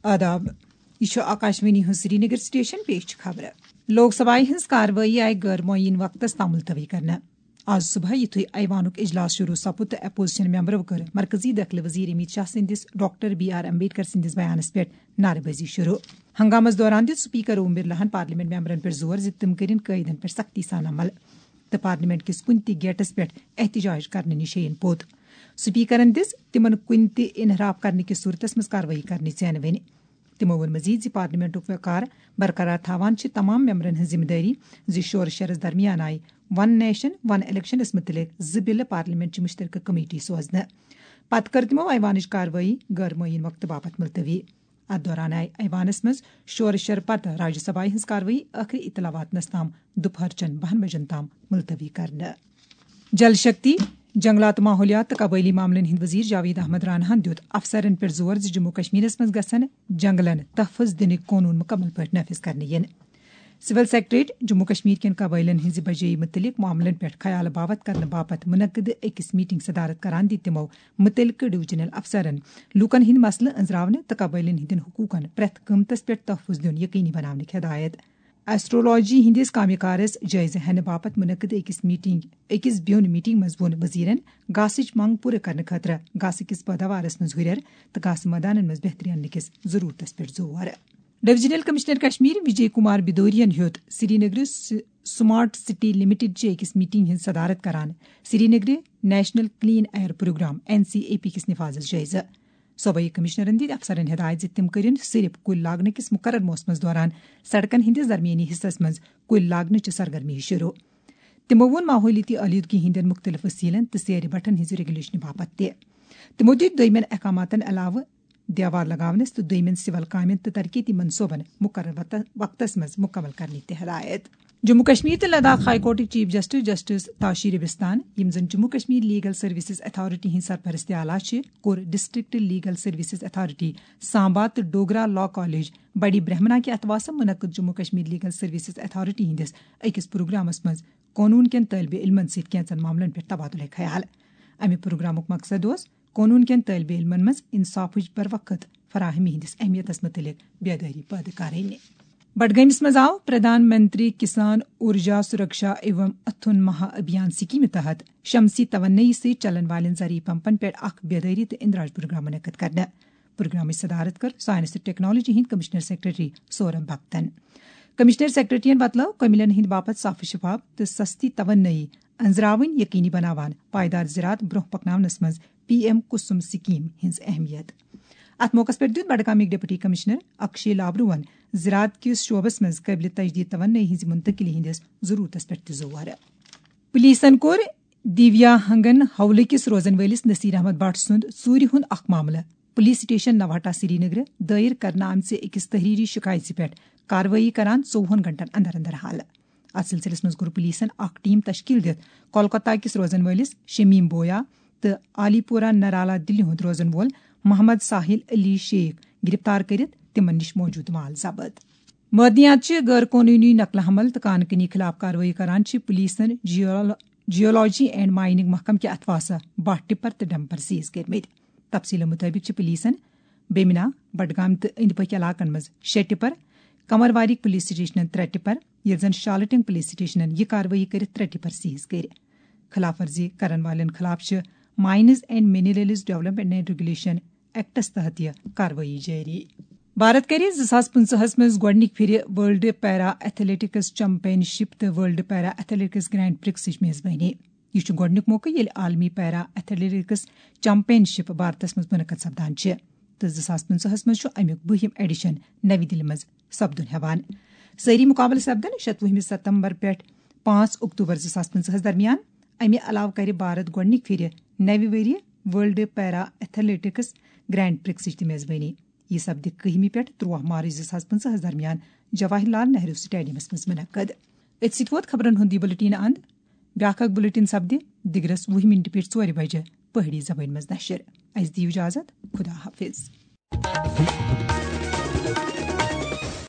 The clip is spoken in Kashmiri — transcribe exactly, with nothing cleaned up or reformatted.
آداب، یہِ چھُ آکاشوانی ہُنٛد سرینگر سٹیشن، پیش چھِ خبرٕ۔ لوک سبھایہِ ہٕنٛز کاروٲیی آیہِ غٲر معین وقتس تام ملتوی کرنہٕ۔ آز صبحٲے یُتھُے ایوانُک اجلاس شروع سپُد تہٕ اپوزیشن ممبرو کٔر مرکزی دٲخلہٕ وزیر امیت شاہ سٕنٛدِس ڈاکٹر بی آر امبیڈکر سٕنٛدِس بیانس پٮ۪ٹھ نعرٕ بٲزی شروع۔ ہنگامس دوران دیُت سپیکر اوم برلاہن پارلیمنٹ ممبرن پٮ۪ٹھ زور زِ تِم کٔرِن قٲیدن پٮ۪ٹھ سختی سان عمل تہٕ پارلیمنٹ کِس کُنہِ تہِ گیٹس پٮ۪ٹھ احتجاج کرنہٕ نِش ہیٚیِن پوٚت۔ سپیکرن دِژ تِمن کُنہِ تہِ انحراف کرنہٕ کِس صورتس منٛز کاروٲیی کرنٕچ ژینوٕنۍ۔ تِمو ووٚن مزید زِ پارلیمنٹُک وقار برقرار تھاوان چھِ تمام ممبرن ہٕنٛز ذمہٕ دٲری زِ شورٕ شرس درمیان آیہِ ون نیشن ون الیکشنس مُتعلق زٕ بلہٕ پارلیمنٹ چہِ مشترکہٕ کمیٹی سوزنہٕ۔ پتہٕ کٔر تِمو ایوانٕچ کاروٲیی غٲر معین وقتہٕ باپتھ ملتوی۔ اتھ دوران آیہِ ایوانس منٛز شورٕ شر پتہٕ راجیہ سبھایہ ہٕنٛز کاروٲیی ٲخری اطلاع واتنس تام دُپہرچٮ۪ن بَہَن بجن تام ملتوی کرنہٕ۔ جل شکتی، جنگلات، ماحولیات تہٕ قبٲئلی معاملن ہٕنٛدۍ وزیر جاوید احمد راناہن دیُت افسرن پٮ۪ٹھ زور زِ جموں کشمیرس منٛز گژھن جنگلن تحفظ دِنٕکۍ قونوٗن مُکمل پٲٹھۍ نافذ کرنہٕ یِن۔ سول سیکرٹریٹ جموں کشمیر کٮ۪ن قبٲئلن ہٕنٛزِ بجٲیی مُتعلق معاملن پٮ۪ٹھ خیال باوت کرنہٕ باپتھ منعقد أکِس میٹنگ صدارت کران دِتۍ تِمو مُتعلقہٕ ڈویژنل افسرن لوٗکن ہٕنٛدۍ مسلہٕ أنٛزراونہٕ تہٕ قبٲئلن ہٕنٛدٮ۪ن حقوٗقن پرٛٮ۪تھ قۭمتس پٮ۪ٹھ تحفظ دیُن یقینی بناونٕکۍ ہدایت۔ ایسٹرولوجی ہٕنٛدِس کامہِ کارس جٲیزٕ ہینہٕ باپتھ منعقد أکِس میٹنگ، أکِس بیوٚن میٹنگ منٛز ووٚن وزیرن گاسٕچ منگ پوٗرٕ کرنہٕ خٲطرٕ گاسہٕ کِس پٲداوارس منٛز ہُرٮ۪ر تہٕ گاسہٕ مٲدانن منٛز بہتری اننہٕ کِس ضروٗرتس پٮ۪ٹھ زور۔ ڈویژنل کمشنر کشمیر وجے کمار بدوریَن ہیوٚت سرینگرٕ س-، سمارٹ سٹی لمیٹڈ چہِ أکِس میٹنگ ہٕنٛز صدارت کران سرینگرٕ national clean air programme, N C A P, کِس نفاذس جٲیزٕ۔ صوبٲئی کمشنرن دِتۍ افسرن ہدایت زِ تِم کٔرِن صرف کُلۍ لاگنہٕ کِس مُقرر موسمس دوران سڑکن ہٕنٛدِس درمیٲنی حصس منٛز کُلۍ لاگنہٕ چہِ سرگرمی شروع۔ تِمو ووٚن ماحولیٲتی آلودگی ہٕنٛدٮ۪ن مُختٔلِف وسیلن تہٕ سیرِ بٹھن ہٕنٛزِ ریگولیشنہِ باپتھ تہِ۔ تِمو دِتۍ دوٚیمٮ۪ن احکاماتن علاوٕ دیوار لگاونس تہٕ دوٚیمٮ۪ن سول کامٮ۪ن تہٕ ترقیتی منصوبن مُقرر وقت-، وقتس منٛز مُکمل کرنٕچ تہِ ہدایت۔ جموں کشمیر تہٕ لداخ ہائی کورٹٕکۍ chief justice justice Tashi Rabstan, یِم زن Jammu Kashmir legal services authority ہٕنٛدۍ سرپرست اعلیٰ چھِ، کوٚر district legal services authority Samba تہٕ ڈوگرا لا کالج بڑی برہمنا کہِ اتھواسہٕ منعقد Jammu Kashmir legal services authority ہٕنٛدِس أکِس پروگرامس منٛز قونوٗن کٮ۪ن طٲلبہِ علمن سۭتۍ کینٛژن معاملن پٮ۪ٹھ تبادلہٕ خیال۔ امہِ پروگرامُک مقصد اوس قونوٗن کٮ۪ن طٲلبہِ علمن منٛز انصافٕچ بروقت فراہمی ہٕنٛدِس اہمیتس مُتعلق بیدٲری پٲدٕ کرٕنۍ۔ بڈگٲمِس منٛز آو پردھان منتری کسان اورجا سرکشا ایوم اتھن مہا ابھیان سکیمہِ تحت شمسی توانٲیی سۭتۍ چلن والٮ۪ن زرعی پمپن پٮ۪ٹھ اکھ بیدٲری تہٕ اندراج پروگرام منعقد کرنہٕ۔ پروگرامٕچ صدارت کٔر ساینس تہٕ ٹیکنالوجی ہٕنٛدۍ کمشنر سیکرٹری سورب بھکتن۔ کمشنر سیکرٹریَن وۄتلٲو کٔمِلٮ۪ن ہٕنٛدِ باپتھ صاف و شفاف تہٕ سستی توانٲیی أنٛزراوٕنۍ یقینی بناوان پائیدار زراعت برونٛہہ پکناونس منٛز پی ایم کسم سکیم ہٕنٛز اہمیت۔ اتھ موقعس پٮ۪ٹھ دیُت بڈگامٕکۍ ڈپٹی کمشنر اکشے لابروہن زراعت کِس شعبس منٛز قٲبلِ تجدید توانٲیی ہٕنٛزِ منتقلی ہٕنٛدِس ضروٗرتس پٮ۪ٹھ تہِ زور۔ پولیسن کوٚر دیویا ہنگن حولہٕ کِس روزن وٲلِس نصیر احمد بٹ سُنٛد ژوٗرِ ہُنٛد اکھ معاملہٕ پولیس سٹیشن نوہٹا سرینگرٕ دٲیر کرنہٕ آمژِ أکِس تحریری شکایژِ پٮ۪ٹھ کاروٲیی کران ژوٚوُہن گھنٹن اندر اندر حل۔ اتھ سلسلس منٛز کوٚر پولیسن اکھ ٹیم تشکیل دِتھ کولکتہ کِس روزن وٲلِس شمیم بویا تہٕ علی پورہ نرالا دِلہِ ہُنٛد روزن وول محمد ساحل علی شیخ گرفتار کٔرِتھ تِمن نِش موجود مال ضبط۔ معدنیات چہِ غٲر قونوٗنی نقل حمل تہٕ کان کنی خلاف کاروٲیی کران چھِ پولیسن جیول-، جیولوجی اینڈ مائننگ محکمہٕ کہِ اتھواسہٕ باہ ٹپر تہٕ ڈمپر سیز کٔرمٕتۍ۔ تفصیلہٕ مُطٲبِق چھِ پولیسن بیمنا، بڈگام تہٕ أنٛدۍ پٔکھۍ علاقن منٛز شےٚ ٹپر، کمرواری پولیس سٹیشنن ترٛےٚ ٹپر، ییٚلہِ زن شالٹنگ پولیس سٹیشنن یہِ کاروٲیی کٔرِتھ ترٛےٚ ٹپر سیز کٔرۍ۔ خلاف ورزی کرن والٮ۪ن خلاف چھِ mines and minerals development and regulation acts تحت یہِ کاروٲیی جٲری۔ بھارت کرِ زٕ ساس پٕنٛژٕہس منٛز گۄڈٕنِکۍ پھِرِ ورلڈ پیرا ایتھلیٹکس چیمپین شپ تہٕ ورلڈ پیرا ایتھلیٹکس گرینڈ پرکسٕچ میزبٲنی۔ یہِ چھُ گۄڈٕنیُک موقعہٕ ییٚلہِ عالمی پیرا ایتھلیٹکس چیمپین شپ بھارتس منٛز منعقد سپدان چھِ تہٕ زٕ ساس پٕنٛژٕہس منٛز چھُ امیُک بٔہِم ایڈیشن نَوِ دِلہِ منٛز سپدُن ہٮ۪وان۔ سٲری مُقابلہٕ سپدن شَتوُہمہِ ستمبر پٮ۪ٹھ پانٛژھ اکتوبر زٕ ساس پٕنٛژٕہس درمیان۔ امہِ علاوٕ کرِ بھارت گۄڈٕنِکۍ پھِرِ نَوِ ؤریہِ ورلڈ پیرا ایتھلیٹکس گرینڈ پرکسٕچ تہِ میزبٲنی۔ یہِ سپدِ کٔہمہِ پٮ۪ٹھ تُرٛواہ مارچ زٕ ساس پٕنٛژٕہس درمیان جواہر لال نہروٗ سٹیڈیمس منٛز منعقد۔ أتھۍ سۭتۍ ووت خبرن ہُنٛد یہِ بُلٹین اند۔ بیٛاکھ اکھ بُلٹین سپدِ دِگرس وُہہِ مِنٹہِ پٮ۪ٹھ ژورِ بجہِ پہٲڑی زبٲنۍ منٛز نشر۔ اسہِ دِیِو اجازت، خدا حافظ۔